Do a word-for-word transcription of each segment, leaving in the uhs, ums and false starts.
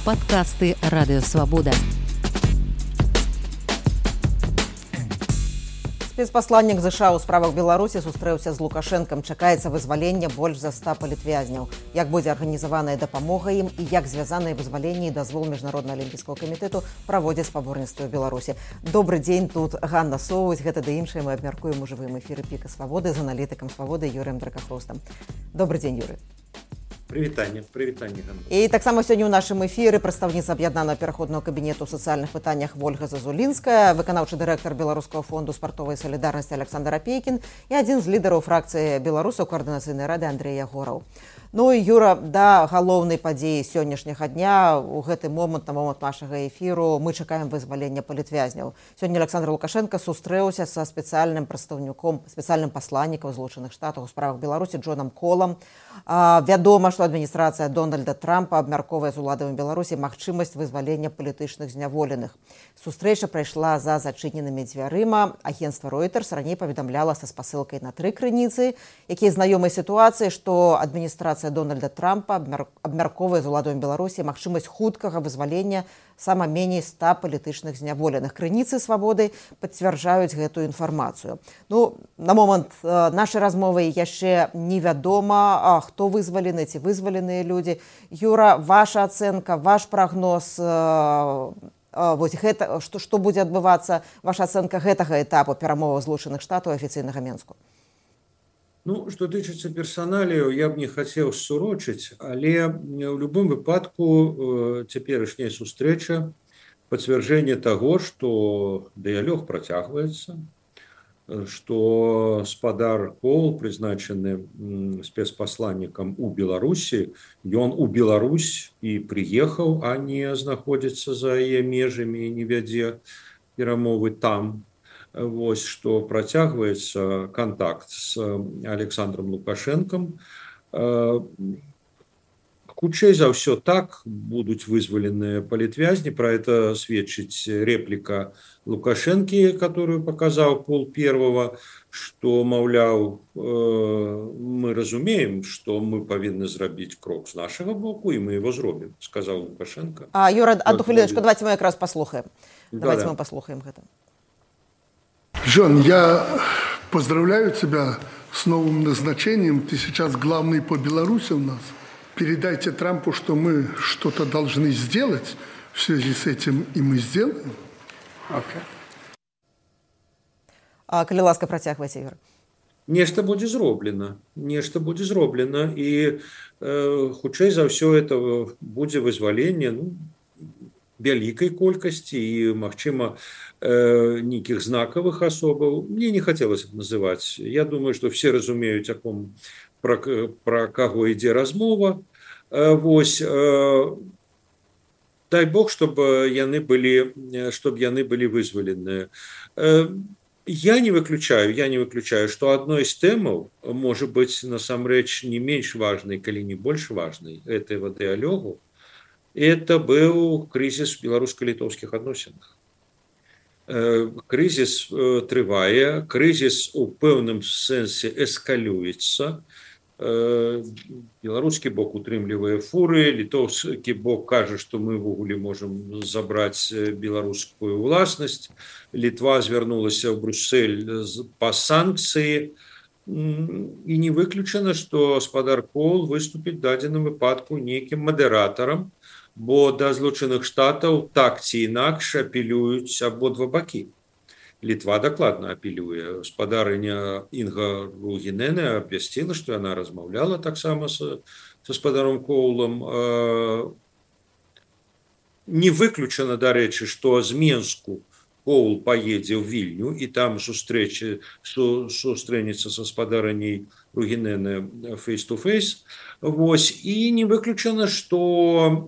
Падкасты Радыёвабода. Спецпасланнік ЗША ў справах Беларусі сустрэўся з Лукашэнкам. Чакаецца вызвалення больш за ста палітвязняў. Як будзе арганізаваная дапамога ім і як звязаныя вызваленні і дазвол Міжнароднага алімпійскага камітэту праводзяць спаборніцтва ў Беларусі. Добры дзень, тут Ганна Соўваць. Гэта да іншае мы абмяркуем у жывым эфіры Піка Свабоды з аналітыкам Свабоды Юрыем Дракахростам. Добры дзень, Юрый. Прывітанне, прывітанне. І таксама сёння ў нашым эфіры прадстаўніца аб'яднанага пераходнага кабінету ў сацыяльных пытаннях Вольга Зазулінская, выканаўчы дырэктар Беларускага фонду спартовай салідарнасці Александр Апейкін і адзін з лідараў фракцыі беларусаў каардынацыйнай рады Андрэй Ягораў. Ну і Юра, да галоўнай падзеі сённяшняга дня у гэты момант, на момант нашага эфіру, мы чакаем вызвалення палітвязняў. Сёння Александр Лукашенко сустрэўся са спецыяльным прадстаўніком, спецыяльным пасланнікам Злучаных Штатаў у справах Беларусі Джонам Колам. А, вядома, што адміністрацыя Дональда Трампа абмярковае з уладамі Беларусі магчымасць вызвалення палітычных зняволеных. Сустрэча прайшла за зачыненымі дзвярыма. Агенцтва Reuters раней паведамляла са спасылкай на тры крыніцы, якія знаёмыя сітуацыі, што адміністрацыя Дональда Трампа абмярковае з уладамі Беларусі магчымасць хуткага вызвалення сама меней ста палітычных зняволеных. Крыніцы Свабоды пацвярджаюць гэтую інфармацыю. Ну, на момант э, нашай размовы яшчэ невядома, а, хто вызвалены, ці вызваленыя людзі. Юра, ваша ацэнка, ваш прагноз, э, э, вось гэта, што, што будзе адбывацца, ваша ацэнка гэтага этапу перамоваў Злучаных Штатаў афіцыйнага Менску? Ну, што тычыцца персаналію, я б не хацеў сурочыць, але ў любым выпадку цяперашняя сустрэча пацвярджэнне таго, што дыялог працягваецца, што спадар Кол, прызначаны спецпасланнікам у Беларусі, ён у Беларусь і прыехаў, а не знаходзіцца за яе межамі і не вядзе перамовы там. Вось, што працягваецца кантакт з Александром Лукашэнкам. Хутчэй за ўсё так будуць вызваленыя палітвязні. Пра это сведчыць рэпліка Лукашэнкі, которую паказаў Пол Первого, што, маўляў, мы разумеем, што мы павінны зрабіць крок з нашага боку, і мы его зробім, сказаў Лукашенко. А, Юра, одну хвилиночку, давайте мы якраз паслухаем. Давайте Да-да. мы паслухаем гэта. Джон, я поздравляю тебя с новым назначением. Ты сейчас главный по Беларуси у нас. Передайте Трампу, что мы что-то должны сделать в связи с этим, и мы сделаем. Okay. А, калі ласка, працягвайце, Юра. Нешта будзе зроблена, нешта будзе зроблена, і э, хутчэй за ўсё это будзе вызваленне, ну, вялікай колькасці і, магчыма, э, нейкіх знакавых асобаў. Мне не хацелася б называць. Я думаю, што все разумеюць, о ком, пра, пра каго ідзе размова. Э, вось, э, дай Бог, чтобы яны былі, чтобы яны былі вызваленыя. Э, я не выключаю, я не выключаю, што адной з тэмаў можа быць насамрэч не менш важнай, калі не больш важнай гэтага дыялогу. Это был кризис в белорусско-литовских отношениях. Кризис трывае, кризис у пэўным сэнсе эскалюецца. Беларускі бок утрымлівае фуры, літоўскі бок кажа, што мы ўвогуле можам забраць беларускую ўласнасць. Літва звярнулася ў Брюссель па санкцыі. І не выключана, што спадар Кол выступіць в дадзеным выпадку нейкім мадэратарам, бо да Злучаных Штатаў так ці інакш апелююць абодва бакі. Літва дакладна апелюе. Спадарыня Інга Ругінене абвясціла, што яна размаўляла таксама са, са спадаром Коулам. Не выключана, дарэчы, што з Менску Коул поедзе ў Вільню і там сустрэчы, су, сустрэнецца са спадарыняй Ругінене face-to-face. Вось, і не выключана, што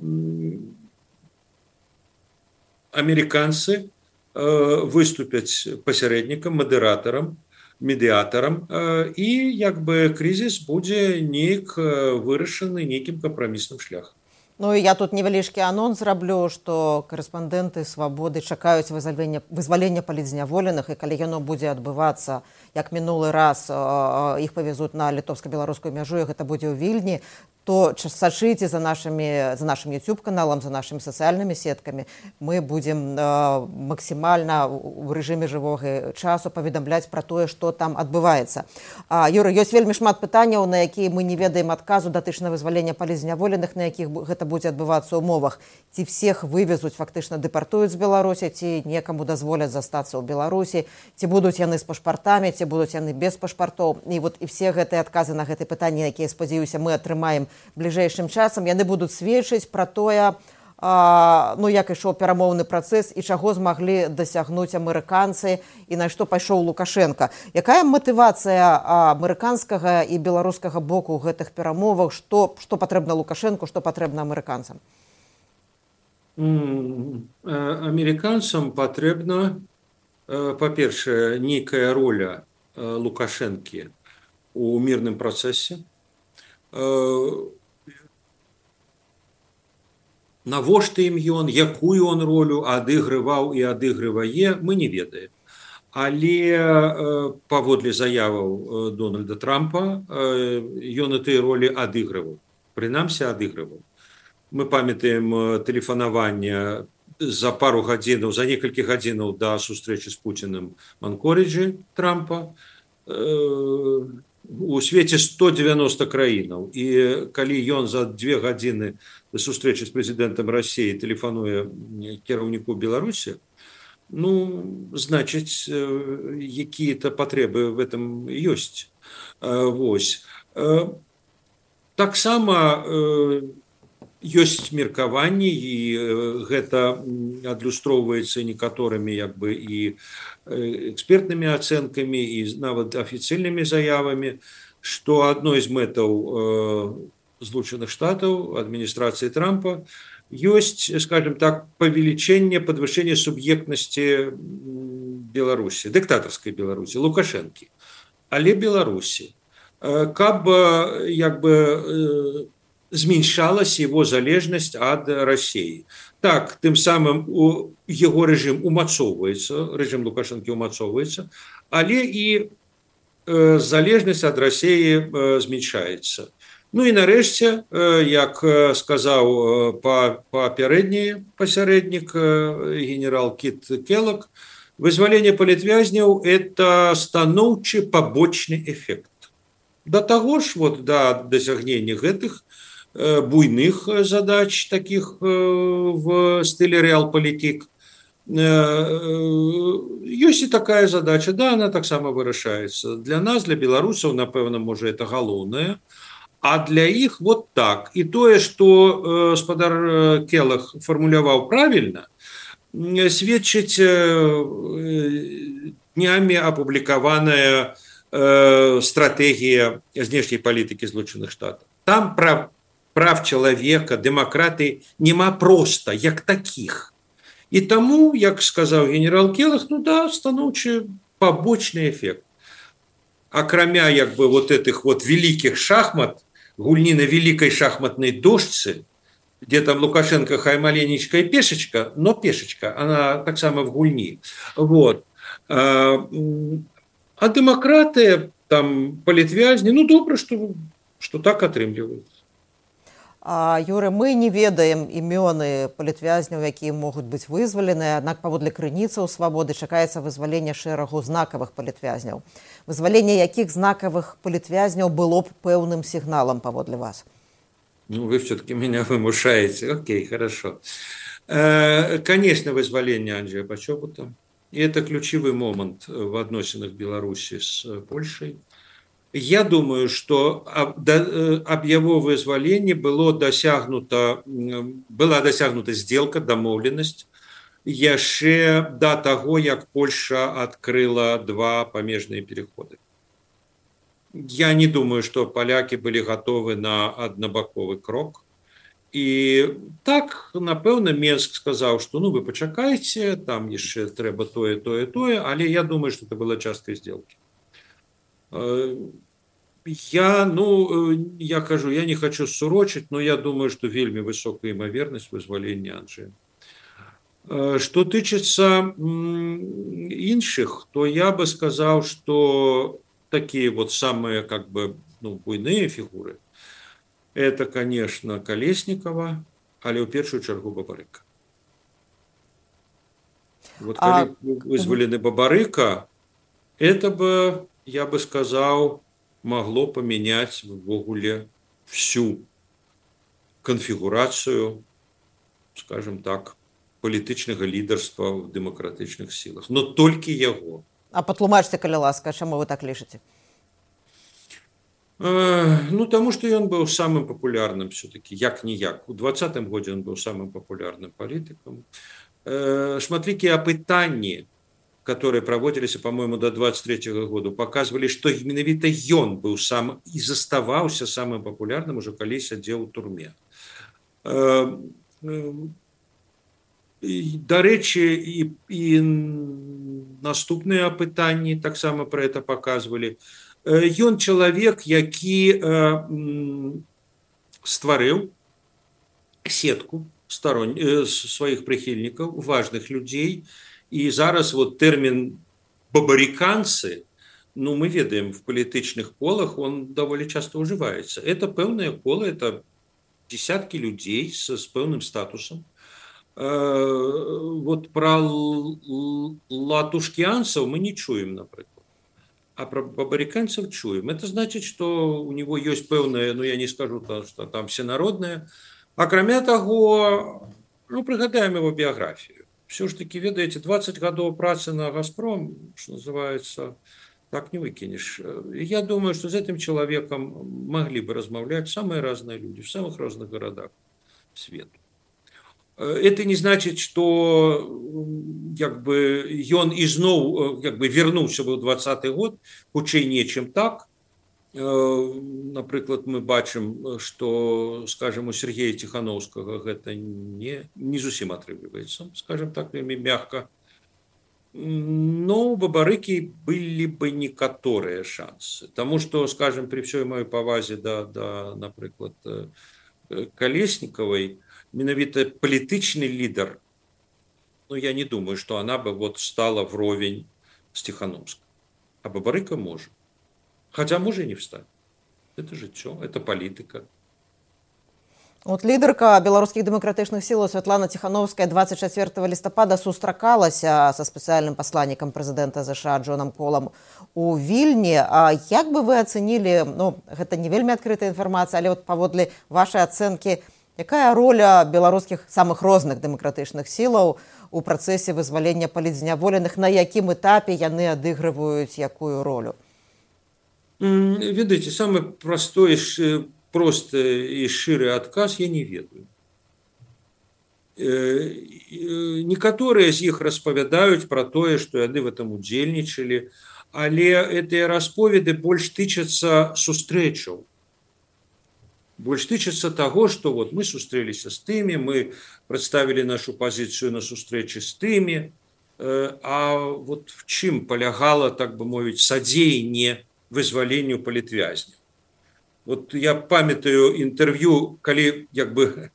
амерыканцы э, выступяць пасярэднікам, мадэратарам, медыятарам, э, і як бы крызіс будзе нейк вырашаны нейкім кампрамісным шляхам. Ну і я тут невялічкі анонс зраблю, што корэспандэнты Свабоды чакаюць вызвалення, вызвалення палітзняволеных, і калі яно будзе адбывацца, як мінулы раз іх павезуць на літоўска-беларускую мяжу, і гэта будзе ў Вільні, то сачыце за нашими, за нашим YouTube-каналом, за нашими социальными сетками. Мы будем э, максимально в режиме живого часу паведамляць про тое, што там адбываецца. А, Юрый, ёсць вельмі шмат пытанняў, на якія мы не ведаем адказу датычна вызвалення палізняволеных, на якіх гэта будзе адбывацца ў умовах. Ці всех вывезуць, фактычна дэпартуюць з Беларусі, ці некаму дазволяць застацца ў Беларусі, ці будуць яны з пашпартамі, ці будуць яны без пашпартоў. І вот і все гэтыя адказы на гэтыя пытанні, якія, спадзяюся, мы атрымаем бліжэйшым часам, яны будуць сведчыць пра тое, а, ну, як ішоў перамоўны працэс і чаго змаглі дасягнуць амерыканцы і на што пайшоў Лукашенко. Якая матывацыя амерыканскага і беларускага боку ў гэтых перамовах, што, што патрэбна Лукашенку, што патрэбна амерыканцам? Амерыканцам патрэбна, па-першае, нейкая роля Лукашэнкі у мірным працэсе. Навошта ім ён, якую он ролю адыгрываў і адыгрывае, мы не ведаем. Але паводле заяваў Дональда Трампа ён і тыя ролі адыгрываў, прынамсі адыгрываў. Мы памятаем тэлефанаванне за пару гадзінаў, за некалькі гадзінаў да сустрэчы з Пуціным в Анкориджы Трампа. У свеце сто дзевяноста краінаў. І калі ён за две гадзіны да сустрэчы з прэзідэнтам Расіі тэлефануе кіраўніку Беларусі, ну, значыць, якія-то патрэбы в этом ёсць. Вось. Таксама ёсць меркаванні, і гэта адлюстроўваецца некаторымі як бы і экспертнымі ацэнкамі, і нават афіцыйнымі заявамі, што адной з мэтаў Злучаных Штатаў, адміністрацыі Трампа, ёсць, скажем так, павелічэнне, падвышэнне суб'ектнасці Беларусі, дыктатарскай Беларусі, Лукашэнкі, але Беларусі, каб як бы зменшалась его залежнасць ад Расіі. Так, тым самым у яго рэжым умацоўваецца, рэжым Лукашэнкі умацоўваецца, але і э, залежнасць ад Расіі э, зменшаецца. Ну і нарэшце, э, як сказаў папярэдні пасярэднік э, генерал Кіт Келлог, вызваленне палітвязняў – это станоўчы пабочны эфект. Да таго ж, вот, да дасягнення гэтых буйных задач, таких в стиле реал-политик, ёсць і такая задача, да, она таксама вырашаецца. Для нас, для беларусаў, напэўна, можа, это галоўнае, а для іх вот так. І тое, што гаспадар Келлог фармуляваў правільна, сведчыць днямі апублікаваная стратэгія знешняй палітыкі Злучаных Штатаў. Там пра прав чалавека, дэмакраты няма проста, як такіх. І таму, як сказаў генерал Келлог, ну да, станоўчы пабочны эфект. Акрамя як бы вот этих вот великих шахмат, гульні на великой шахматной дошцы, где там Лукашенко хай маленечка и пешечка, но пешечка, она так само в гульні. Вот. А, а дэмакраты, там, палітвязні, ну добра, что, что так атрымліваюцца. А, Юры, мы не ведаем імёны палітвязняў, якія могуць быць вызвалены, аднак паводле крыніцаў свабоды чакаецца вызваленне шэрагу знакавых палітвязняў. Вызваленне якіх знакавых палітвязняў было б пэўным сігналам паводле вас? Ну, вы все-таки меня вымушаете. Окей, хорошо. Э, конечно, вызволение Анджея Почобута. И это ключевой момент в отношениях Беларуси с Польшей. Я думаю, что об, об его вызволении было досягнуто, была досягнута сделка, домовленность, яшчэ до того, как Польша открыла два помежные переходы. Я не думаю, что поляки были готовы на однобоковый крок. И так, напэўна, Менск сказал, что ну вы почакайте, там яшчэ трэба тое, тое, тое, але я думаю, что это была часткай сделки. Я, ну, я кажу, я не хочу сурочить, но я думаю, что вельмі высокая имоверность вызволения Анджея. Что тычыцца іншых, то я бы сказал, что такие вот самые, как бы, ну, буйные фигуры, это, конечно, Колесникова, але ў першую чаргу Бабарыка. Вот калі а... вызвалены Бабарыка, это бы, я бы сказал, могло поменять ввогуле всю конфигурацию, скажем так, палітычнага лідарства в дэмакратычных сілах. Но толькі яго. А патлумачце, калі ласка, чаму вы так лічыце? Э, ну, таму што ён быў самым папулярным все-таки, як-ніяк. У двадцатым годзе ён быў самым папулярным палітыкам. Э, шматлікія апытанні, которые проводились, по-моему, до двадцать третьего года, показывали, что менавіта ён был сам и заставался самым популярным уже калі сядзеў у турме. Дарэчы, і, і наступныя апытанні таксама про это показывали. Ён чалавек, які стварыў сетку сторон... сваіх прыхільнікаў, важных людзей. И зараз вот термин «бабариканцы», ну, мы ведаем, в политических колах он довольно часто уживается. Это певное коло, это десятки людей с, с певным статусом. Вот про латушкианцев мы не чуем, например. А про бабариканцев чуем. Это значит, что у него есть певное, ну, я не скажу, что там всенародное. А кроме того, ну, пригадаем его биографию. Все ж таки, ведаете, двадцать годов працы на «Газпром», что называется, так не выкинешь. Я думаю, что с этим человеком могли бы размовлять самые разные люди в самых разных городах света. Это не значит, что как бы ён изноў как бы вернулся в двадцатый год, хутчэй нечым так. Напрыклад, мы бачым, что, скажем, у Сергея Тихановского это не, не зусім атрымліваецца, скажем так, мягко. Но у Бабарыкі были бы некаторыя шансы. Потому что, скажем, при всей моей павазе да, да, напрыклад, Колесниковой, менавіта палітычны лидер, ну, я не думаю, что она бы вот стала вровень с Тихановским. А Бабарыка может. Хотя может и не встать. Это жыццё, это политика. Вот лідарка беларускіх дэмакратычных сілаў Святлана Тихановская двадцать четвёртого лістапада сустракалася са спецыяльным пасланнікам прэзідэнта ЗША Джонам Полам у Вільні. А як бы вы ацэнілі, ну, гэта не вельмі адкрытая інфармацыя, але вот паводле вашай ацэнкі, якая роля беларускіх самых розных дэмакратычных сілаў у працэсе вызвалення палітзняволеных, на якім этапе яны адыгрываюць якую ролю? Ведаеце, самый простой, простый и ширый отказ я не ведаю. Некоторые из них распавядаюць про тое, что яны в этом удзельнічалі, але гэтыя расповеды больш тычацца сустрэчаў. Больш тычацца того, что вот мы сустрэліся с тымі, мы представили нашу позицию на сустрэчы с тымі, а вот в чым полягала, так бы мовіць, садзеянне вызваленню палітвязня. Вот я памятаю интервью, калі як бы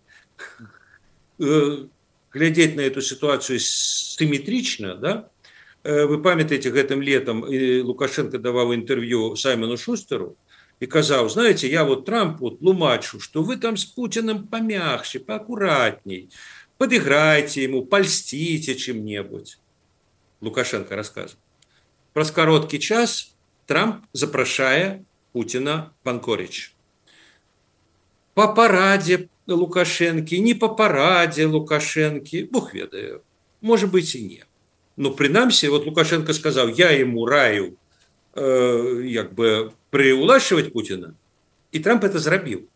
глядеть на эту ситуацию симметрично, да? Вы памятаете, гэтым летом Лукашенко давал интервью Саймону Шустеру и казал, знаете, я вот Трампу тлумачу, что вы там с Путиным помягче, поаккуратней, подыграйте ему, польстите чем-нибудь. Лукашенко рассказывал. Праз кароткі час Трамп запрашае Путина Панкорич. По параде Лукашенки, не по параде Лукашенки, Бог ведае, может быть и не. Но принамсі, вот Лукашенко сказал, я ему раю э, як бы приулашивать Путина, и Трамп это зрабіў.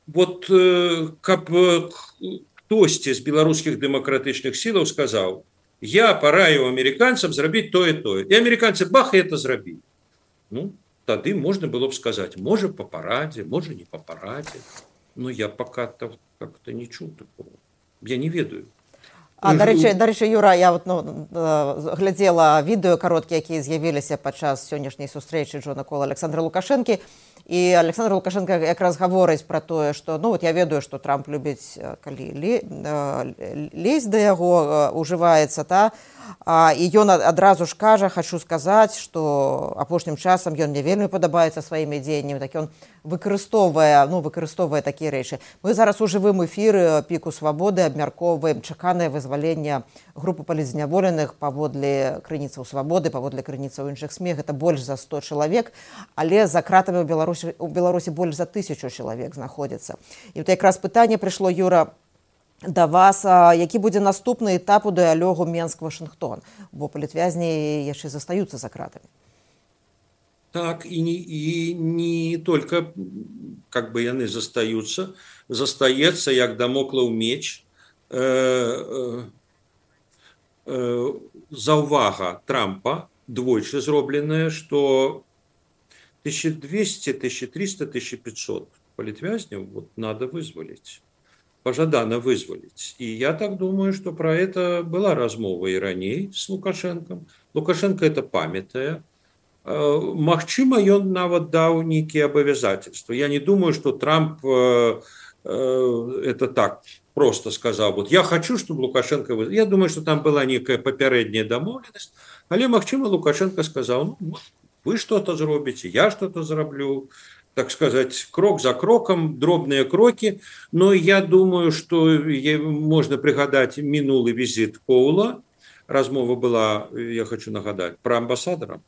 Вот э, каб хтосьці з беларускіх дэмакратычных сілаў сказал, я параю американцам зрабіць тое тое. И американцы бах, и это зрабілі. Ну, тады можно было бы сказать, может по параде, может не по параде. Но я пока как-то не чуў такого. Я не ведаю. А, дарэчы, дарэчы, Юра, я вот, ну, глядзела відэо кароткія, якія з'явіліся падчас сённяшняй сустрэчы Джона Кола Александра Лукашэнкі. І Александр Лукашенко якраз гаворыць пра тое, што, ну, вот я ведаю, што Трамп любіць, калі лезть да яго, ужываецца, та, І ён адразу ж кажа, хочу сказаць, што апошнім часам ён мне вельмі падабаецца сваімі дзеяннямі, так ён выкарыстоўвае, ну, выкарыстоўвае такія рэчы. Мы зараз у жывым эфіры піку свабоды абмяркоўваем чаканае вызваленне групы палітзняволеных паводле крыніцаў свабоды, паводле крыніцаў іншых СМЕ. Гэта больш за сто чалавек, але за кратамі ў Беларусі, у Беларусі больш за тысячу чалавек знаходзіцца. І вот якраз пытанне прыйшло, Юра, да вас, які будзе наступны этап у дыялогу Менск-Вашынгтон, бо палітвязні яшчэ застаюцца за кратамі. Так, и не, и не только как бы яны застаются, застаецца, як дамоклаў меч, э, э, э, заўвага Трампа, двойчы зробленая, что тысяча двести, тысяча триста, тысяча пятьсот палітвязняў вот, надо вызволить. Пожадано вызволить. И я так думаю, что про это была размова и раней с Лукашенком. Лукашенко это памятае. Магчыма, ён нават даў нейкія абавязательства. Я не думаю, что Трамп э, э, это так просто сказал. Вот я хочу, чтобы Лукашенко вызволил. Я думаю, что там была некая попередняя домовленность. Але магчыма, Лукашенко сказал, ну, вы что-то зробите, я что-то зраблю. Так сказать, крок за кроком, дробные кроки. Но я думаю, что можно пригадать минулый визит Коула. Размова была, я хочу нагадать, про амбассадора.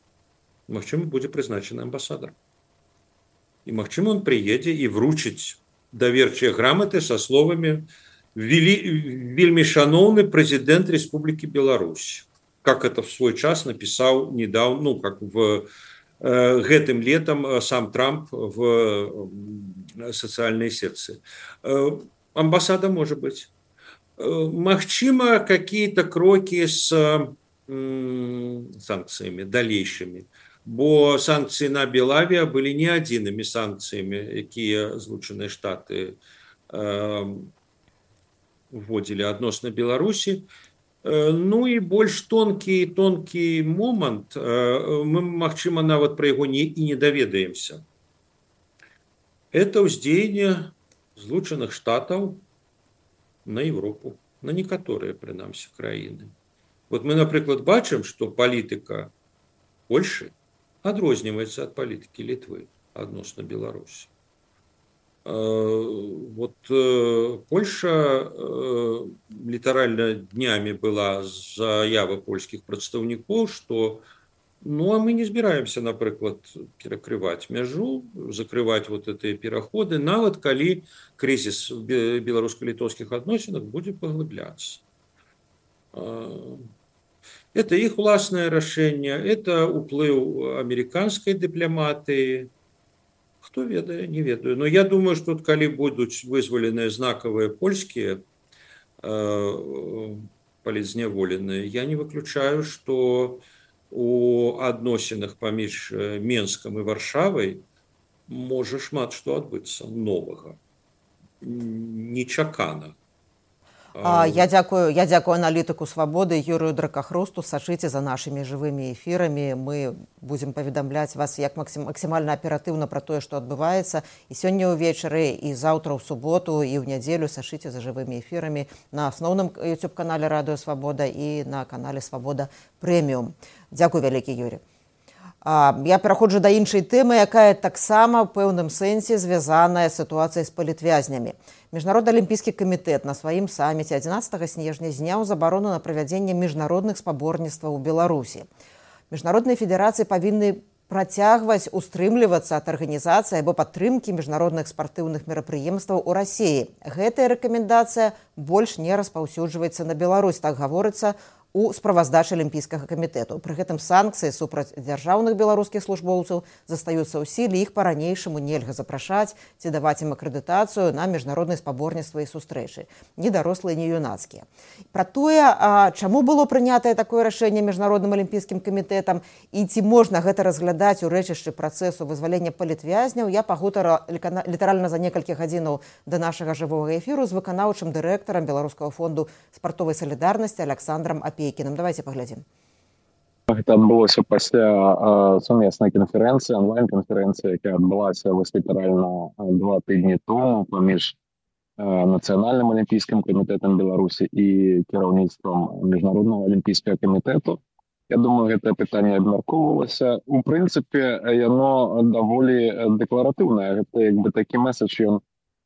Магчыма, будзе прызначаны амбассадар. И магчыма, он приедет и вручить доверчыя грамоты со словами «Вельмі шановны президент Республики Беларусь». Как это в свой час написал недавно, ну, как в гэтым летом сам Трамп в социальной сетцы. Амбассада может быть. Магчыма, какие-то кроки с санкциями дальнейшими. Бо санкции на Белавия были не адзінымі санкциями, якія Злучаныя Штаты вводили адносна Беларусі. Ну и больш тонкий тонкий момант, мы, магчыма, нават про яго не, и не даведаемся. Это ўздзеянне Злучаных Штатаў на Европу, на некаторыя, прынамсі, краіны. Вот мы, напрыклад, бачым, что палітыка Польши адрозніваецца ад палітыкі Літвы адносна Беларусі. Вот Польша литерально днями была заява польских представников, что ну а мы не збираемся, например, перекрывать мяжу, закрывать вот эти переходы, нават калі кризис в белорусско-литовских отношениях будет поглубляться. Это их властное решение, это уплыв американской дипломатии. Кто ведае, не ведаю. Но я думаю, что калі будуць вызволеныя знакавыя польскія э, палітзняволеныя, я не выключаю, что у адносінах паміж Менскам і Варшавай можа шмат што адбыцца новага, нечакана. А, я дзякую, я дзякую аналітыку свабоды Юрыю Дракахрусту. Сачыце за нашымі жывымі эфірамі. Мы будзем паведамляць вас як максим, максімальна аператыўна пра тое, што адбываецца. І сёння ўвечары, і заўтра ў суботу, і ў нядзелю сачыце за жывымі эфірамі на асноўным YouTube-канале Радыё Свабода і на канале Свабода Прэміум. Дзякуй вялікі, Юрий. А, я пераходжу да іншай тэмы, якая таксама ў пэўным сэнсе звязаная з сітуацыяй з палітвязнямі. Міжнародны алімпійскі камітэт на сваім саміце адзінаццатага снежня зняў забарону на правядзенне міжнародных спаборніцтваў у Беларусі. Міжнародныя федэрацыі павінны працягваць устрымлівацца ад арганізацыі або падтрымкі міжнародных спартыўных мерапрыемстваў у Расіі. Гэтая рэкамендацыя больш не распаўсюджваецца на Беларусь, так гаворыцца у справаздачы алімпійскага камітэту. Пры гэтым санкцыі супраць дзяржаўных беларускіх службоўцаў застаюцца ў сіле, іх па-ранейшаму нельга запрашаць ці даваць ім акрэдытацыю на міжнародныя спаборніцтвы і сустрэчы, ні дарослыя, ні юнацкія. Пра тое, а, чаму было прынятае такое рашэнне міжнародным алімпійскім камітэтам і ці можна гэта разглядаць у рэчышчы працэсу вызвалення палітвязняў, я пагутарыла літаральна за некалькі гадзінаў да нашага жывога эфіру з выканаўчым дырэктарам Беларускага фонду спартовай салідарнасці Александром Апейкіным. Давайте паглядзім. Гэта адбылося пасля сумеснай канферэнцыі, онлайн-канферэнцыі, якая адбылася вось літаральна два тыдні тому паміж Нацыянальным алімпійскім камітэтам Беларусі і кіраўніцтвам міжнароднага алімпійскага камітэту. Я думаю, гэтае пытанне абмяркоўвалася. У прынцыпе, яно даволі дэкларатыўнае. Гэта як бы такі месседж, ён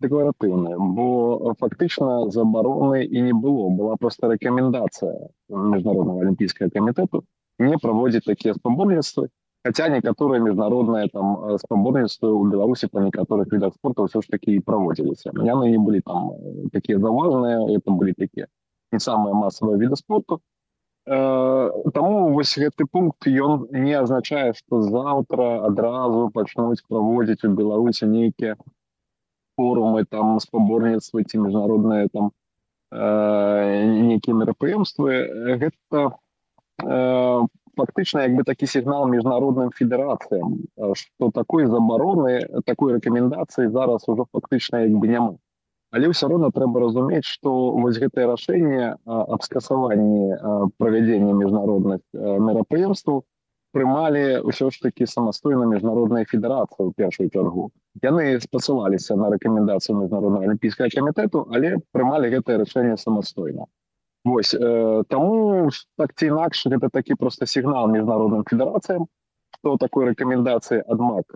дэкларатыўны, бо фактычна забароны і не было. Была проста рэкамендацыя міжнароднага алімпійскага камітэту не праводзіць такія спаборніцтвы, хаця некаторыя міжнародныя там спаборніцтвы ў Беларусі па некаторых відах спорту ўсё ж такі і праводзіліся. Яны не былі там такія заўважныя, это былі такія не самыя масавыя віды спорту. Таму вось гэты пункт ён не азначае, што заўтра адразу пачнуць праводзіць у Беларусі нейкія форумы, там спаборніцтвы ці міжнародныя там нейкія мерапрыемствы. Гэта фактычна як бы такі сігнал міжнародным федэрацыям, што такой забароны, такой рэкамендацыі зараз ужо фактычна як бы няма. Але ўсё роўна трэба разумець, што вось гэтае рашэнне аб скасаванні правядзення міжнародных мерапрыемстваў прымалі ўсё ж такі самастойна міжнародная федэрацыя ў першую чаргу. Яны спасылаліся на рэкамендацыю міжнароднага алімпійскага камітэту, але прымалі гэтае рашэнне самастойна. Вось, таму так ці інакш гэта такі проста сігнал міжнародным федэрацыям, што такой рэкамендацыі адмак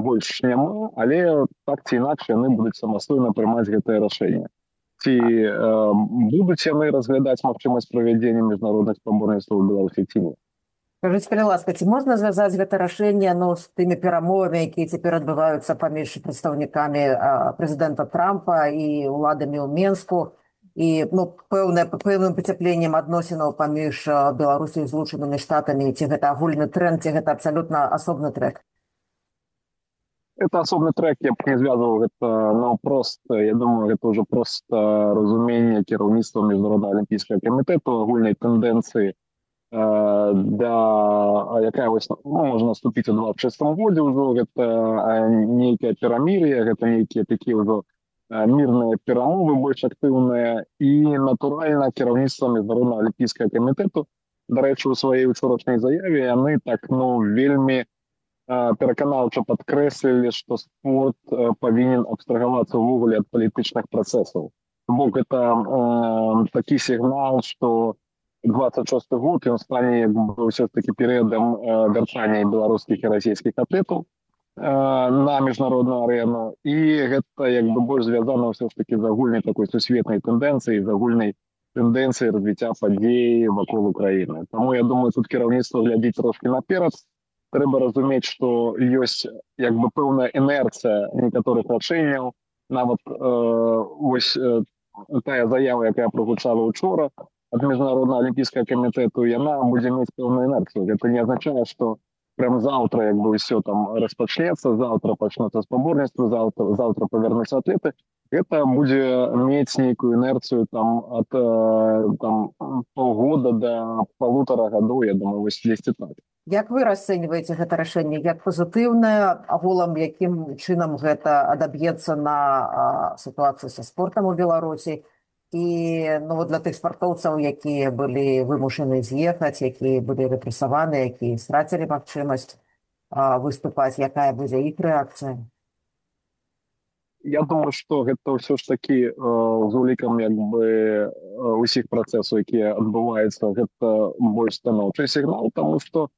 больш няма, але так ці інакш яны будуць самастойна прымаць гэтае рашэнне. Ці будуць яны разглядаць магчымасць правядзення міжнародных спаборніцтваў у Беларусі ці не? Скажыце, калі ласка, ці можна звязаць гэта рашэнне ну, з тымі перамовамі, якія цяпер адбываюцца паміж прадстаўнікамі прэзідэнта Трампа і ўладамі ў Менску, і ну, пэўнае, пэўным пацяпленнем адносінаў паміж Беларусі і Злучанымі Штатамі, ці гэта агульны тренд, ці гэта абсалютна асобны трек? Это асобны трек, я б не звязваў гэта, ну, просто, я думаю, гэта ўжо проста разуменне кіраўніцтва міжнароднага алімпійскага камітэту, агульнай тэндэнцыі, да, якая вось, ну, можна наступіць у двадцять шестым годзе ўжо, гэта нейкая перамір'е, гэта нейкія такія ўжо мірныя перамовы больш актыўныя, і натуральна кіраўніцтва міжнароднага алімпійскага камітэту, дарэчы, у сваёй учорашняй заяве яны так ну вельмі пераканаўча падкрэслілі, што спорт павінен абстрагавацца ўвогуле ад палітычных працэсаў. Бо гэта э, такі сігнал, што двадцать шосты год ён стане як бы ўсё ж такі перыядам вяртання беларускіх і расійскіх атлетаў на міжнародную арену, і гэта як бы больш звязана ўсё ж такі з агульнай такой сусветнай тэндэнцыяй, з агульнай тэндэнцыяй развіцця падзей вакол Украіны. Таму я думаю, тут кіраўніцтва глядзіць трошкі наперад. Трэба разумець, што ёсць як бы пэўная інерцыя некаторых рашэнняў. Нават э, вось э, тая заява, якая прагучала учора ад міжнароднага алімпійскага камітэту, яна будзе мець пэўную інерцыю. Гэта не азначае, што прям завтра як бы ўсё там распачнецца, завтра пачнуцца спаборніцтвы, завтра, завтра павернуцца атлеты. Гэта будзе мець нейкую інерцыю там ад там паўгода да палутара гадоў, я думаю, вось дзесьці так. Як вы расцэньваеце гэта рашэнне? Як пазітыўнае, агулам якім чынам гэта адаб'ецца на сітуацыю са спортам у Беларусі? І ну, вот для тых спартоўцаў, якія былі вымушаны з'ехаць, якія былі рэпрэсаваны, якія страцілі магчымасць выступаць, якая будзе іх рэакцыя? Я думаю, што гэта ўсё ж такі з улікам як бы усіх працэсаў, якія адбываюцца, гэта больш станоўчы сігнал, таму што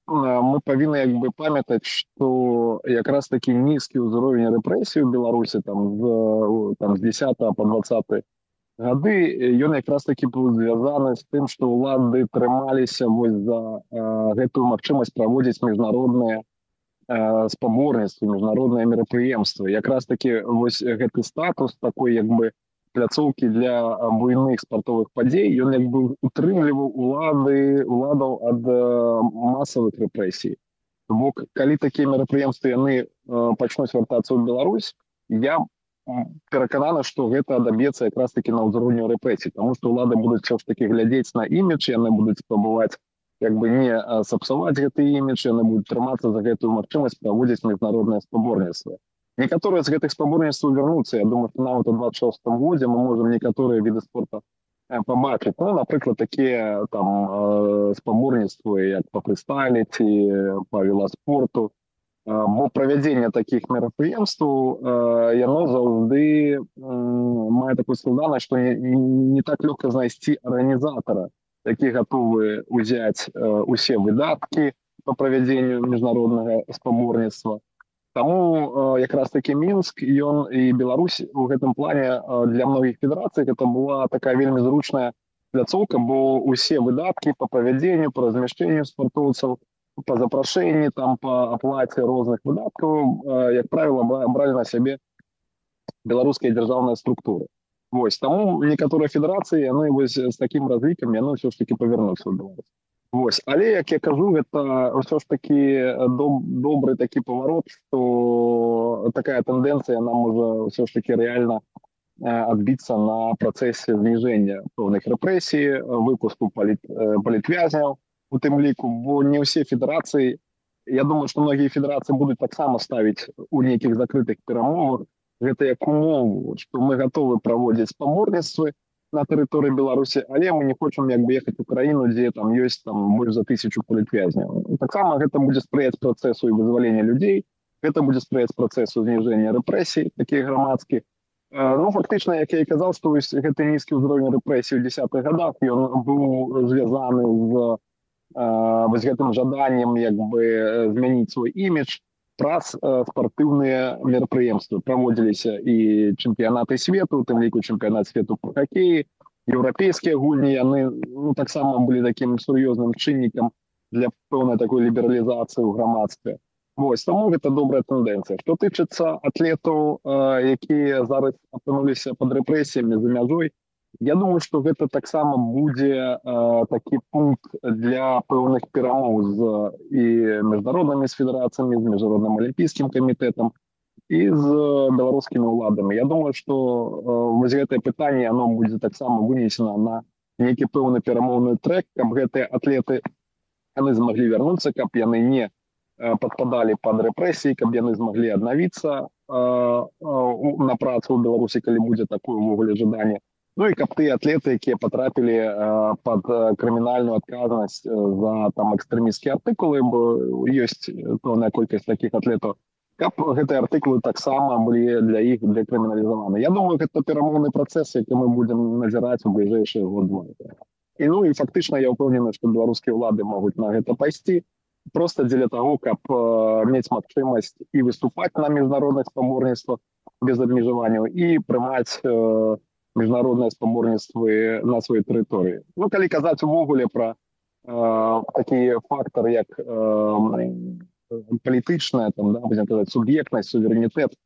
мы павінны як бы памятаць, што якраз такі нізкі ўзровень рэпрэсій у Беларусі там з, там, з дзесятага па дваццаты гады, ён якраз такі быў звязаны з тым, што ўлады трымаліся вось за гэтую магчымасць праводзіць міжнародныя спаборніцтвы, міжнародныя мерапрыемствы. Якраз такі вось гэты статус такой як бы пляцоўкі для буйных спартовых падзей, ён як бы утрымліваў улады, уладаў ад масавых рэпрэсій. Бо калі такія мерапрыемствы яны пачнуць вяртацца ў Беларусь, я перакананы, што гэта адаб'ецца якраз такі на ўзроўню рэпрэсій, таму што ўлады будуць ўсё ж такі глядзець на імідж, яны будуць спрабаваць як бы не сапсаваць гэты імідж, яны будуць трымацца за гэтую магчымасць праводзіць міжнародныя спаборніцтвы. Некаторыя з гэтых спаборніцтваў вярнуцца. Я думаю, што нават у двадцать шостым годзе мы можам некаторыя віды спорта пабачыць. Ну, напрыклад, такія там спаборніцтвы, як па фрыстайле ці па веласпорту, Бо правядзенне такіх мерапрыемстваў яно заўжды мае такую складанасць, што не, не так лёгка знайсці арганізатара, які гатовы ўзяць усе выдаткі па правядзенню міжнароднага спаборніцтва. Таму якраз такі Мінск, ён і Беларусь у гэтым плане для многіх федэрацый гэта была такая вельмі зручная пляцоўка, бо ўсе выдаткі па правядзенню, па размяшчэнню спартоўцаў, по запрашэнні, там, по аплаце розных выдаткаў, як правіла, бралі на сябе беларускія дзяржаўныя структуры. Вось, таму некаторыя федэрацыі, яны вось з такім разлікам, яны ўсё ж такі павярнуцца ў Беларусь. Вось, але, як я кажу, гэта ўсё ж такі доб, добры такі паварот, што такая тэндэнцыя нам можа ўсё ж такі рэальна адбіцца на працэсе зніжэння пэўных рэпрэсій, выпуску паліт, палітвязняў, у тым ліку, бо не ўсе федэрацыі, я думаю, што многія федэрацыі будуць таксама ставіць у нейкіх закрытых перамовах гэта як умову, што мы гатовы праводзіць спаборніцтвы на тэрыторыі Беларусі, але мы не хочам як бы ехаць у краіну, дзе там ёсць там больш за тысячу палітвязняў. Таксама гэта будзе спрыяць працэсу і вызвалення людзей, гэта будзе спрыяць працэсу зніжэння рэпрэсій, такіх грамадскіх. Ну, фактычна, як я і казаў, што гэты нізкі ўзровень рэпрэсій у дзесятых гадах, ён быў звязаны з вось гэтым жаданнем як бы змяніць свой імідж праз спартыўныя мерапрыемствы. Праводзіліся і чэмпіянаты свету, у тым ліку чэмпіянат свету па хакеі, еўрапейскія гульні, яны ну, таксама былі такім сур'ёзным чыннікам для пэўнай такой лібералізацыі ў грамадстве. Вось, таму гэта добрая тэндэнцыя. Што тычыцца атлетаў, якія зараз апынуліся пад рэпрэсіямі за мяжой, я думаю, што гэта таксама будзе э, такі пункт для пэўных перамоў з і міжнароднымі федэрацыямі, з міжнародным алімпійскім камітэтам і з беларускімі ўладамі. Я думаю, што э, вось гэтае пытанне оно будзе таксама вынесена на нейкі пэўны перамоўны трэк, каб гэтыя атлеты яны змаглі вярнуцца, каб яны не э, падпадалі пад рэпрэсіі, каб яны змаглі аднавіцца э, э, на працу ў Беларусі, калі будзе такое ўвогуле жаданне. Ну і каб тыя атлеты, якія патрапілі э, пад крымінальную адказнасць за там экстрэмісцкія артыкулы, бо ёсць пэўная колькасць такіх атлетаў, каб гэтыя артыкулы таксама былі для іх дэкрыміналізаваны. Я думаю, гэта перамоўны працэс, які мы будзем назіраць у бліжэйшыя год-два. І ну і фактычна я ўпэўнены, што беларускія ўлады могуць на гэта пайсці, проста дзеля таго, каб э, мець магчымасць і выступаць на міжнародных спаборніцтвах без абмежаванняў і прымаць э, міжнародныя спаборніцтвы на сваёй тэрыторыі. Ну, калі казаць увогуле пра э, такі фактар, як э, палітычная, там, да, будзем казаць, суб'ектнасць, суверэнітэт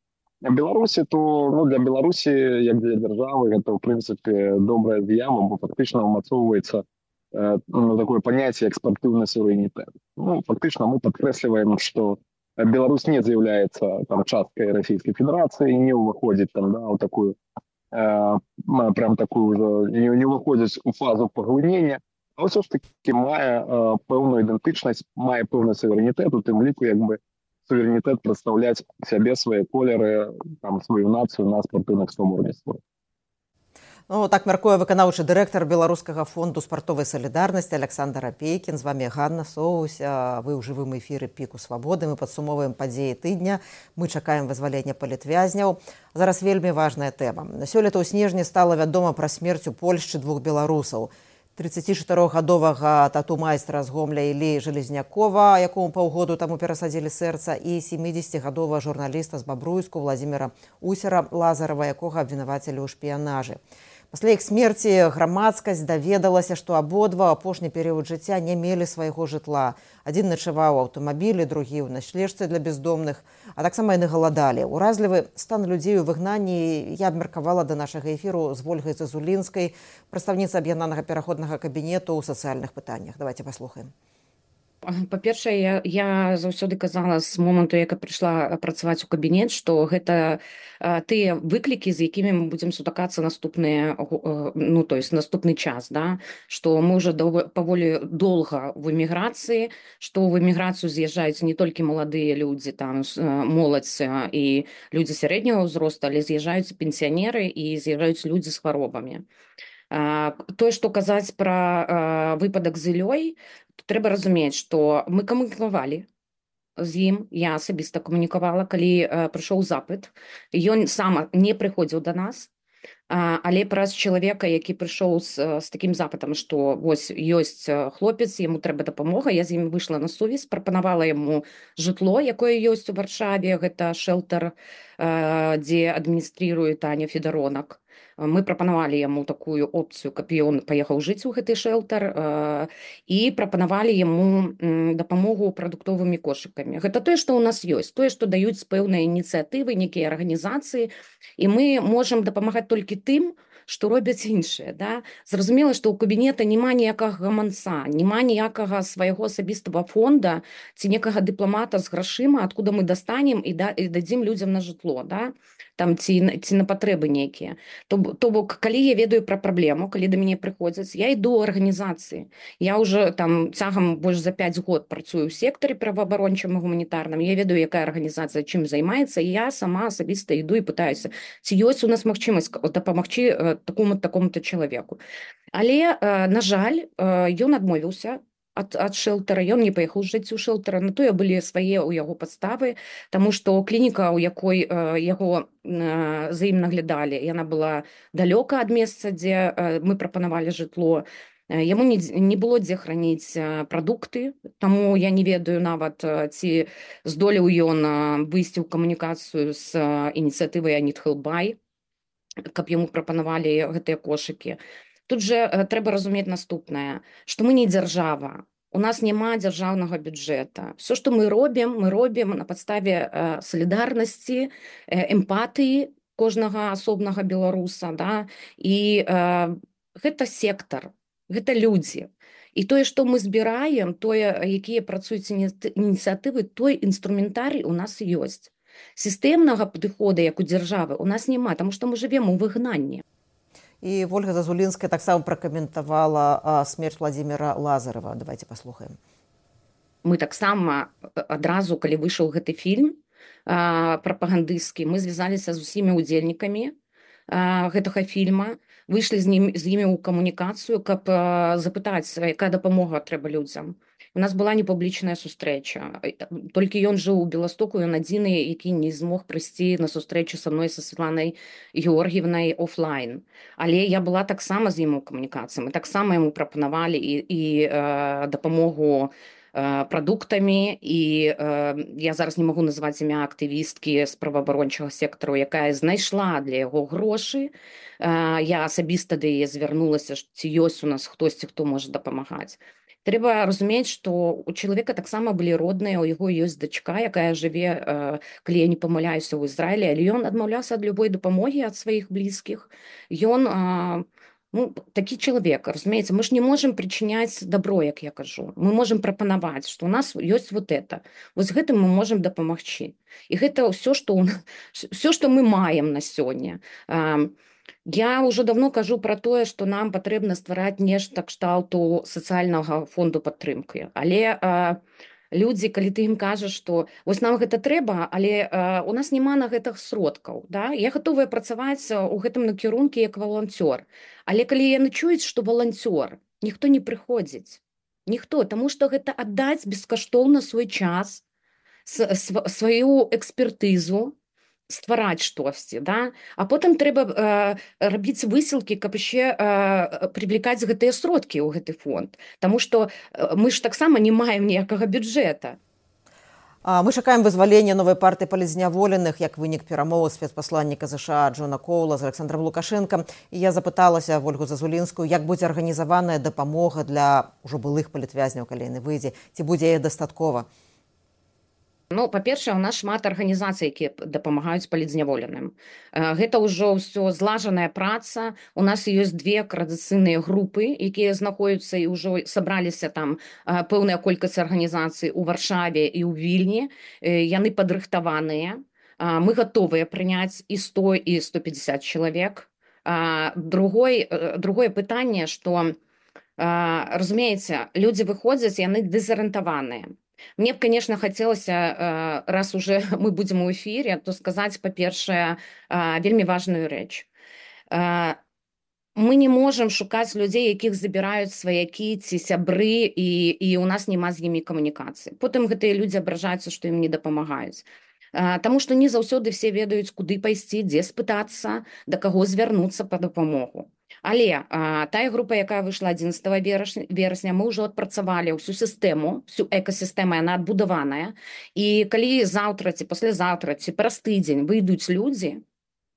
Беларусі, то ну, для Беларусі, як для дзяржавы, гэта, ў прынцыпе, добрая з'ява, бо фактычна ўмацоўваецца э, ну, такое паняцце як спартыўны суверэнітэт. Ну, фактычна мы падкрэсліваем, што Беларусь не з'яўляецца там часткай Расійскай Федэрацыі, не ўваходзіць там, да, ў такую прям такую уже не, не выходзіць у фазу паглынення, а ўсё ж таки мае э, пэўную ідэнтычнасць, мае пэўны суверэнітэт, у тым ліку як бы суверэнітэт прадстаўляць сябе, свае колеры, там, сваю нацыю на спартыўных спаборніцтвах. Ну, так мяркуе выканаўчы дырэктар Беларускага фонду спартовай салідарнасці Александр Апейкін. З вами Ганна Соусь. Вы ў жывым эфіры Піку Свабоды. Мы падсумоўваем падзеі тыдня. Мы чакаем вызвалення палітвязняў. Зараз вельмі важная тэма. Сёлета ў снежні стала вядома пра смерць у Польшчы двух беларусаў. трыццацічатырохгадовага тату-майстра з Гомля Іллі Железнякова, якому паўгоду таму перасадзілі сэрца, і сямідзесяцігадовага журналіста з Бабруйску Владзіміра Усера Лазарава, якога абвінавацілі ў шпіянажы. Пасля іх смерці грамадскасць даведалася, што абодва апошні перыяд жыцця не мелі свайго жытла. Адзін начаваў у аўтамабілі, другі ў начлежцы для бездомных, а таксама яны галадалі. Уразлівы стан людзей у выгнанні я абмеркавала да нашага эфіру з Вольгай Зазулінскай, прадстаўніца аб'яднанага пераходнага кабінету ў сацыяльных пытаннях. Давайте паслухаем. Па-першае, я, я заўсёды казала з моманту, як я прыйшла працаваць у кабінет, што гэта а, тыя выклікі, з якімі мы будзем сутыкацца наступныя, ну, то есть наступны час, да? Што мы ўжо паволі доўга в эміграцыі, што ў эміграцыю з'язджаюць не толькі маладыя людзі, там, моладзь і людзі сярэдняга ўзросту, але з'язджаюць пенсіянеры і з'язджаюць людзі з хваробамі. А, тое, што казаць пра а, выпадак з Іллёй, трэба разумець, што мы камунікавалі з ім, я асабіста камунікавала, калі прыйшоў запыт. Ён сам не прыходзіў да нас, але праз чалавека, які прыйшоў з, з такім запытам, што вось ёсць хлопец, яму трэба дапамога, я з ім выйшла на сувязь, прапанавала яму жытло, якое ёсць у Варшаве, гэта шэлтэр, дзе адміністрыруе Таня Федаронак. Мы прапанавалі яму такую опцыю, каб ён паехаў жыць у гэты шэлтэр, і прапанавалі яму дапамогу прадуктовымі кошыкамі. Гэта тое, што ў нас ёсць, тое, што даюць пэўныя ініцыятывы, нейкія арганізацыі, і мы можам дапамагаць толькі тым, што робяць іншыя. Да? Зразумела, што ў кабінета няма ніякага гаманца, няма ніякага свайго асабістага фонда ці некага дыпламата з грашыма, адкуда мы дастанем і, да, і дадзім людзям на жытло, да? Там, ці, ці на патрэбы нейкія. То, то бок, калі я ведаю пра праблему, калі да мяне прыходзяць, я іду ў арганізацыі. Я ўжо там цягам больш за пяць год працую ў сектары праваабарончым і гуманітарным. Я ведаю, якая арганізацыя чым займаецца, і я сама асабіста іду і пытаюся, ці ёсць у нас магчымасць дапамагчы такому такому-то чалавеку. Але, на жаль, ён адмовіўся ад, ад шэлтера, ён не паехаў жыць у шэлтера, на тое былі свае ў яго падставы, таму што клініка, у якой яго за ім наглядалі, яна была далёка ад месца, дзе мы прапанавалі жытло. Яму не, не было дзе храніць прадукты, таму я не ведаю нават, ці здолеў ён выйсці ў камунікацыю з ініцыятывай I Need Help Buy, каб яму прапанавалі гэтыя кошыкі. Тут же трэба разумець наступнае, што мы не дзяржава, у нас няма дзяржаўнага бюджэта. Все, што мы робім, мы робім на падставе салідарнасці, эмпатыі кожнага асобнага беларуса, да? І э, гэта сектар, гэта людзі. І тое, што мы збіраем, тое, якія працуюць ініцыятывы, той інструментарый у нас ёсць. Сістэмнага падыхода, як у дзяржавы, у нас няма, таму што мы жывем у выгнанні. І Ольга Зазулінская таксама пракаментавала смерць Владзіміра Лазарева. Давайте паслухаем. Мы таксама адразу, калі выйшаў гэты фільм прапагандысцкі, мы звязаліся з усімі удзельнікамі гэтага фільма, выйшлі з, ім, з імі ў камунікацыю, каб запытаць, якая дапамога трэба людзям. У нас была непублічная сустрэча. Толькі ён жыў у Беластоку, ён адзіны, які не змог прыйсці на сустрэчу са мной, са Святланай Георгіевнай офлайн. Але я была таксама з ім у камунікацыі. Мы таксама яму прапанавалі і, і э, дапамогу э, прадуктамі, і э, я зараз не магу называць імя актывісткі з праваабарончага сектару, якая знайшла для яго грошы. Э, я асабіста да яе звярнулася, ці ёсць у нас хтосьці, хто можа дапамагаць. Трэба разумець, што у чалавека таксама былі родныя, у яго ёсць дачка, якая жыве, калі я не памыляюся, ў Ізраілі, але ён адмаўляўся ад любой дапамогі ад сваіх блізкіх. Ён ну, такі чалавек, разумееце, мы ж не можам прычыняць дабро, як я кажу. Мы можам прапанаваць, што ў нас ёсць вот это. Вось гэтым мы можам дапамагчы. І гэта ўсё, што, ўсё, што мы маем на сёння. Я ўжо давно кажу пра тое, што нам патрэбна ствараць нешта кшталту сацыяльнага фонду падтрымкі. Але э, людзі, калі ты ім кажаш, што вось нам гэта трэба, але э, у нас няма на гэтых сродкаў. Да? Я гатовая працаваць у гэтым накірунку як валанцёр. Але калі яны чуюць, што валанцёр, ніхто не прыходзіць. Ніхто, таму што гэта аддаць бескаштоўна свой час, сваю экспертызу, ствараць штосьці, да? А потым трэба э, рабіць высілкі, каб яшчэ э, прывлекаць гэтыя сродкі ў гэты фонд. Таму што э, мы ж таксама не маем ніякага бюджэта. Мы чакаем вызвалення новай партыі палізняволеных як вынік перамоваў спецпасланніка ЗША Джона Коула з Александром Лукашенкам. І я запыталася Ольгу Зазулінскую, як будзе арганізаваная дапамога для ўжо былых палітвязняў, калі яны выйдзе, ці будзе яе дастаткова? Ну, па-першае, у нас шмат арганізацый, якія дапамагаюць палітзняволеным. Гэта ўжо ўсё злажаная праца. У нас ёсць две коардынацыйныя групы, якія знаходзяцца і ўжо сабраліся там пэўная колькасць арганізацый у Варшаве і ў Вільні. Яны падрыхтаваныя. Мы гатовыя прыняць і сто, і сто пятьдесят чалавек. Другой, другое пытанне, што, разумееце, людзі выходзяць, яны дэзарыентаваныя. Мне б, конечно, хотелося, раз уже мы будем у эфире, то сказать, по-першае, вельмі важную рэч. мы не можам шукаць людзей, якіх забіраюць сваякі ці сябры, і, і у нас няма з імі камунікацыі. Потым гэтыя людзі абражаюцца, што ім не дапамагаюць. Таму што не заўсёды все ведаюць, куды пайсці, дзе спытацца, да каго звярнуцца па дапамогу. Але а, тая група, якая выйшла адзінаццатага верасня, мы ўжо адпрацавалі ўсю сістэму, всю экасістэму, яна адбудаваная. І калі заўтра ці паслязаўтра ці праз тыдзень выйдуць людзі,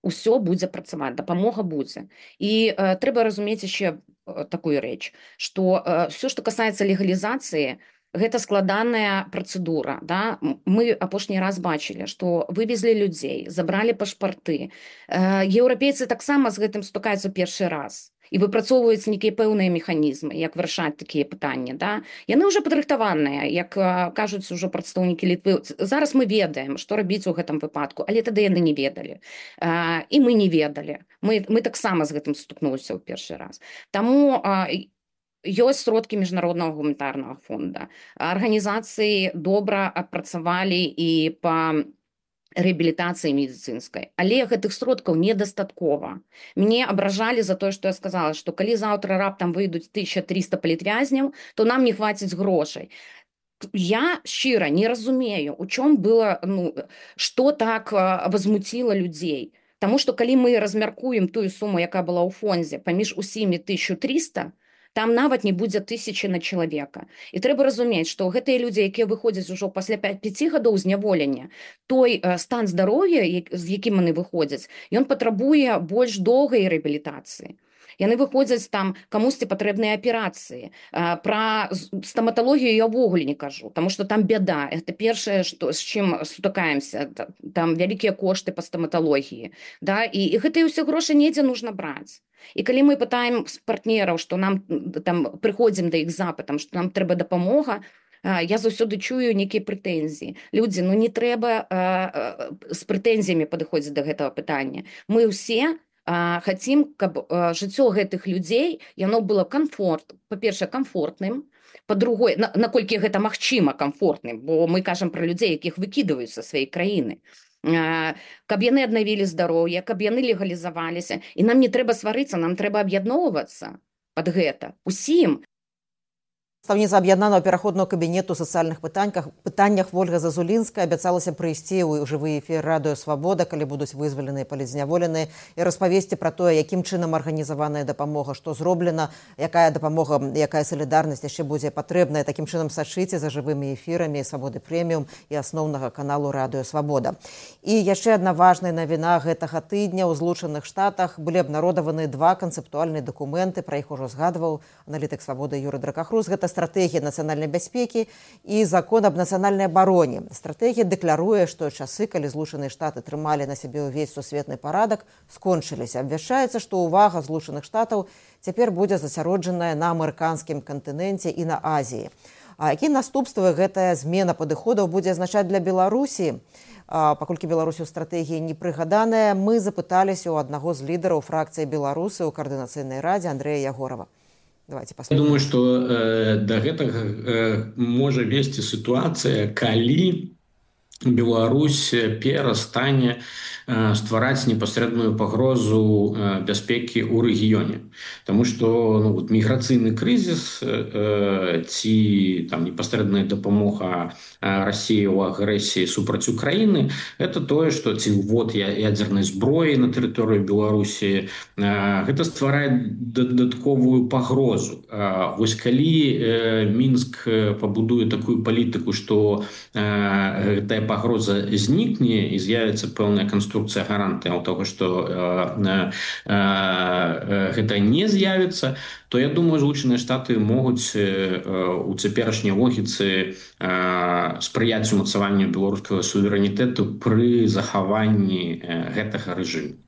усё будзе працаваць, дапамога будзе. І э, трэба разумець яшчэ э, такую рэч, што э, все, што касаецца легалізацыі, гэта складаная працэдура. Да? Мы апошні раз бачылі, што вывезлі людзей, забралі пашпарты. Еўрапейцы таксама з гэтым стукаюцца першы раз і выпрацоўваюць нейкія пэўныя механізмы, як вырашаць такія пытанні. Да? Яны ўжо падрыхтаваныя, як кажуць ужо прадстаўнікі Літвы. Зараз мы ведаем, што рабіць у гэтым выпадку, але тады яны не ведалі. І мы не ведалі. Мы, мы таксама з гэтым стукнуліся ў першы раз. Таму ёсць сродкі міжнароднага гуманітарнага фонда. Арганізацыі добра адпрацавалі і па рэабілітацыі медыцынскай. Але гэтых сродкаў недастаткова. Мне абражалі за тое, што я сказала, што калі заўтра раптам выйдуць тысяча трыста палітвязняў, то нам не хваціць грошай. Я шчыра не разумею, у чым было, ну, што так возмутіла людзей. Таму што калі мы размяркуем тую суму, якая была ў фондзе, паміж усімі тысяча трыста, там нават не будзе тысячы на чалавека. І трэба разумець, што гэтыя людзі, якія выходзяць ужо пасля пяці гадоў зняволення, той стан здароўя, з якім яны выходзяць, ён патрабуе больш доўгай рэабілітацыі. Яны выходзяць там, камусьці патрэбныя аперацыі. Пра стаматалогію я ўвогуле не кажу, таму што там бяда. Гэта першае, што, з чым сутыкаемся. Там вялікія кошты па стаматалогіі. Да? І, і гэтыя ўсе грошы недзе нужна браць. І калі мы пытаем з партнераў, што нам там прыходзім да іх запытам, што нам трэба дапамога, я заўсёды чую нейкія прэтэнзіі. Людзі, ну не трэба з прэтэнзіямі падыходзіць да гэтага пытання. Мы ўсе хацім, каб жыццё гэтых людзей, яно было комфорт, па-першае, комфортным, па-другое, наколькі гэта магчыма комфортным, бо мы кажам пра людзей, якіх выкідваюць са сваёй краіны. Каб яны аднавілі здароўе, каб яны легалізаваліся. І нам не трэба сварыцца, нам трэба аб'ядноўвацца пад гэта. Усім. Прадстаўніца аб'яднанага пераходнага кабінету сацыяльных пытаннях, пытаннях Вольга Зазулінская абяцалася прыйсці ў жывы эфір радыё «Свабода», калі будуць вызваленыя палітзняволеныя, і распавесці пра тое, якім чынам арганізаваная дапамога, што зроблена, якая дапамога, якая салідарнасць яшчэ будзе патрэбная. Такім чынам сачыце за жывымі эфірамі «Свабоды прэміум» і асноўнага каналу радыё «Свабода». І яшчэ адна важная навіна гэтага тыдня. У Злучаных Штатах былі абнародаваны два канцэптуальныя дакументы, пра іх ужо згадваў аналітык «Свабоды» Юрый Дракахрус. Гэта стратегія нацыянальнай бяспекі і закон аб нацыянальнай абароне. Стратегія дэкларуе, што часы, калі Злучаныя Штаты трымалі на сябе ўвесь сусветны парадак, скончыліся. Абвяшчаецца, што ўвага Злучаных Штатаў цяпер будзе засяроджаная на амерыканскім кантыненце і на Азіі. А якія наступствы гэтая змена падыходаў будзе азначаць для Беларусі? Паколькі Беларусі ў стратэгіі не прыгаданая, мы запыталіся ў аднаго з лідараў фракцыі беларусы ў каардынацыйнай радзе Андрэя Ягорова. Давайте Я думаю, што э, да гэтага э, можа весці сітуацыя, калі Беларусь перастане э, ствараць непасрэдную пагрозу э, бяспекі ў рэгіёне. Таму што ну, вот, міграцыйны крызіс э, ці там, непасрэдная дапамога э, Расіі ў агрэсіі супраць Украіны – гэта тое, што ці ввод ядзернай зброі на тэрыторыю Беларусі, э, гэта стварае дадатковую пагрозу. Э, вось калі э, Мінск пабудуе такую палітыку, што э, гэтая пагроза знікне і з'явіцца пэўная канструкцыя гарантыяў таго, што э, э, э, гэта не з'явіцца, то я думаю, Злучаныя Штаты могуць э, у цяперашняй логіцы э, спрыяць умацаванню беларускага суверэнітэту пры захаванні э, гэтага рэжыму.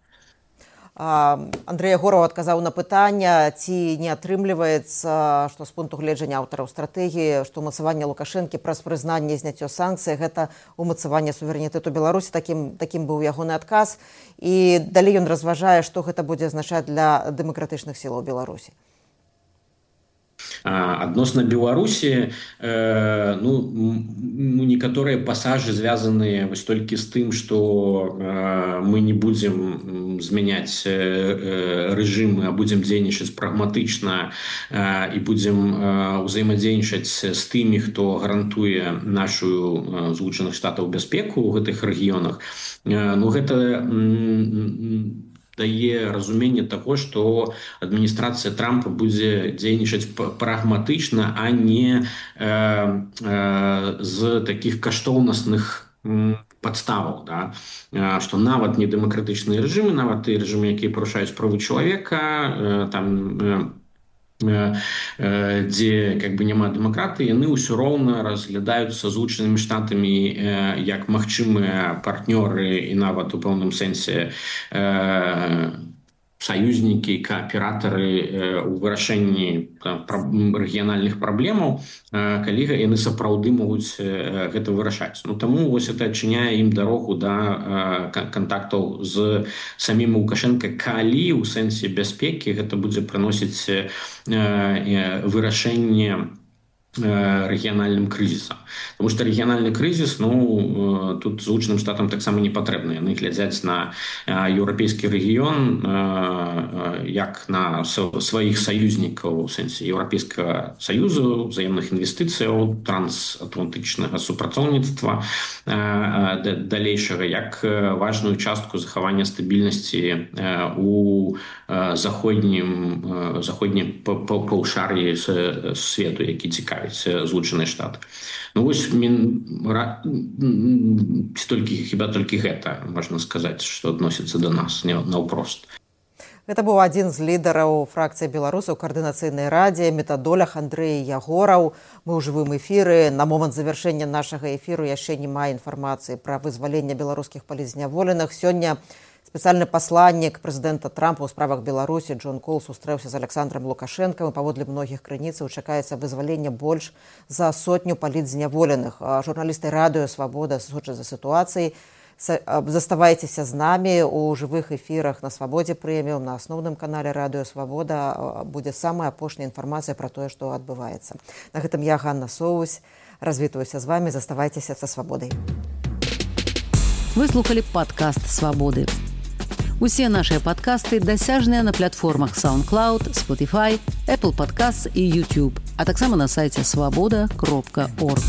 Андрэй Ягораў адказаў на пытанне, ці не атрымліваецца, што з пункту гледжання аўтараў стратэгіі, што умацаванне Лукашэнкі праз прызнанне зняццё санкцый – гэта умацаванне суверэнітэту Беларусі. Такім, такім быў ягоны адказ. І далей ён разважае, што гэта будзе азначаць для дэмакратычных сілаў Беларусі. Адносна Беларусі, ну, некаторыя пасажы звязаныя вось толькі з тым, што мы не будзем змяняць рэжымы, а будзем дзейнічаць прагматычна і будзем ўзаемадзейнічаць з тымі, хто гарантуе нашу Злучаных Штатаў бяспеку ў гэтых рэгіёнах. Ну, гэта дае разуменне таго, што адміністрацыя Трампа будзе дзейнічаць прагматычна, а не э, э, з такіх каштоўнасных падставаў, да? Што нават недэмакратычныя рэжымы, нават тыя рэжымы, якія парушаюць правы чалавека, э, там э, дзе как бы няма дэмакратыі, яны ўсё роўна разглядаюцца Злучанымі Штатамі як магчымыя партнёры і нават у пэўным сэнсе саюзнікі, кааператары ў вырашэнні рэгіянальных праблемаў, калі яны сапраўды могуць гэта вырашаць. Ну, таму вось это адчыняе ім дарогу да кантактаў з самім Лукашенко, калі ў сэнсе бяспекі гэта будзе прыносіць вырашэнне рэгіянальным крызісам. Тому што рэгіянальны крызіс, ну, тут Злучаным Штатам таксама не патрэбны. Яны глядзяць на еўрапейскі рэгіён як на сваіх саюзнікаў у сэнсе Еўрапейскага саюзу, взаемных інвестыцыяў, трансатлантычнага супрацоўніцтва далейшага, як важную частку захавання стабільнасці у заходнім заходнім паўшар'і свету, які цікавіць Злучаныя Штаты. Ну вось толькі хіба толькі гэта можна сказаць, што адносіцца да нас наўпрост. Гэта быў адзін з лідараў фракцыі беларусаў каардынацыйнай радзе метадолях Андрэй Ягораў. Мы ў жывым эфіры. На момант завяршэння нашага эфіру яшчэ не мае інфармацыі пра вызваленне беларускіх палітзняволеных. Сёння спецыяльны пасланнік прэзідэнта Трампа ў справах Беларусі Джон Кол сустрэўся з Александром Лукашэнкам, і паводле многіх крыніцаў чакаецца вызваленне больш за сотню палітзняволеных. Журналісты радыё «Свабода» сочаць за сітуацыяй. Заставайцеся з намі у жывых эфірах на Свабодзе прэміум, на асноўным канале радыё «Свабода» будзе самая апошняя інфармацыя пра тое, што адбываецца. На гэтым я, Ганна Соусь, развітваюся з вамі. Заставайцеся са Свабодай. Вы слухалі падкаст «Свабоды». Усе нашыя падкасты дасяжныя на платформах SoundCloud, Spotify, Apple Podcasts і YouTube, а таксама на сайце свабода кропка орг.